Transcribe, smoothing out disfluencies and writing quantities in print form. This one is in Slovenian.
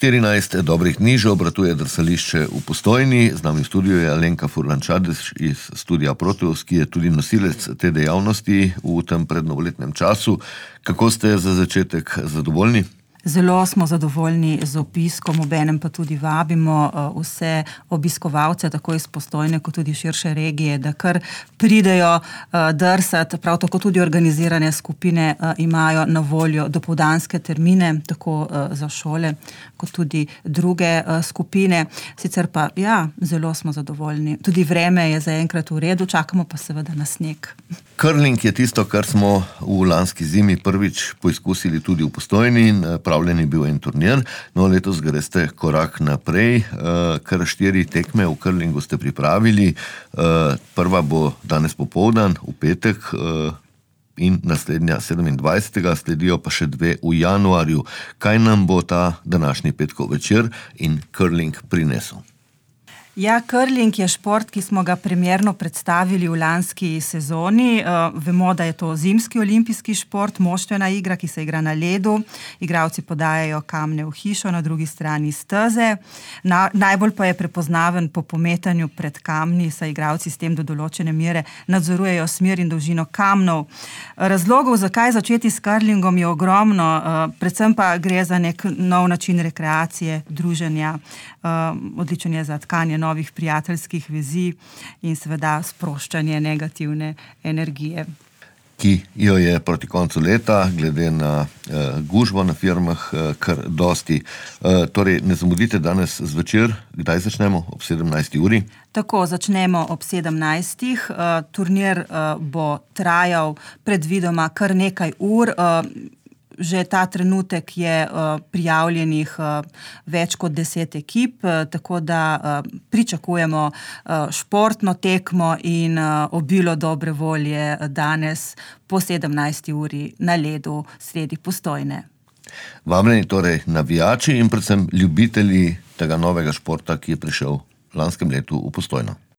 14 dobrih dni že obratuje drsališče v Postojni. Z nami v studiu je Alenka Furlan-Čadež iz studia Proteus, ki je tudi nosilec te dejavnosti v tem prednovoletnem času. Kako ste za začetek zadovoljni? Zelo smo zadovoljni z opiskom, obenem pa tudi vabimo vse obiskovalce, tako iz Postojne, kot tudi širše regije, da kar pridejo drsati. Prav tako tudi organizirane skupine imajo na voljo dopoldanske termine, tako za šole, kot tudi druge skupine. Sicer pa, zelo smo zadovoljni. Tudi vreme je zaenkrat v redu, čakamo pa seveda na sneg. Curling je tisto, kar smo v lanski zimi prvič poizkusili tudi v Postojni in pripravljen je bil en turnir. No, letos greste korak naprej, kar 4 tekme v curlingu ste pripravili. Prva bo danes popoldan, v petek, in naslednja 27. Sledijo pa še 2 v januarju. Kaj nam bo ta današnji petkov večer in curling prinesel? Curling je šport, ki smo ga primerno predstavili v lanski sezoni. Vemo, da je to zimski olimpijski šport, moštvena igra, ki se igra na ledu. Igralci podajajo kamne v hišo, na drugi strani steze. Najbolj pa je prepoznaven po pometanju pred kamni, saj igralci s tem do določene mere nadzorujejo smer in dolžino kamnov. Razlogov, zakaj začeti s curlingom, je ogromno. Predvsem pa gre za nek nov način rekreacije, druženja. Odličen je za tkanje novih prijateljskih vezi in seveda sproščanje negativne energije. Ki jo je proti koncu leta, glede na gužvo na firmah, kar dosti. Torej, ne zamudite danes zvečer. Kdaj začnemo? Ob 17. uri? Tako, začnemo ob 17. Turnir bo trajal predvidoma kar nekaj ur. Že ta trenutek je prijavljenih več kot 10 ekip, tako da pričakujemo športno tekmo in obilo dobre volje danes po 17. uri na ledu sredi Postojne. Vabljeni torej navijači in predvsem ljubitelji tega novega športa, ki je prišel v lanskem letu v Postojno.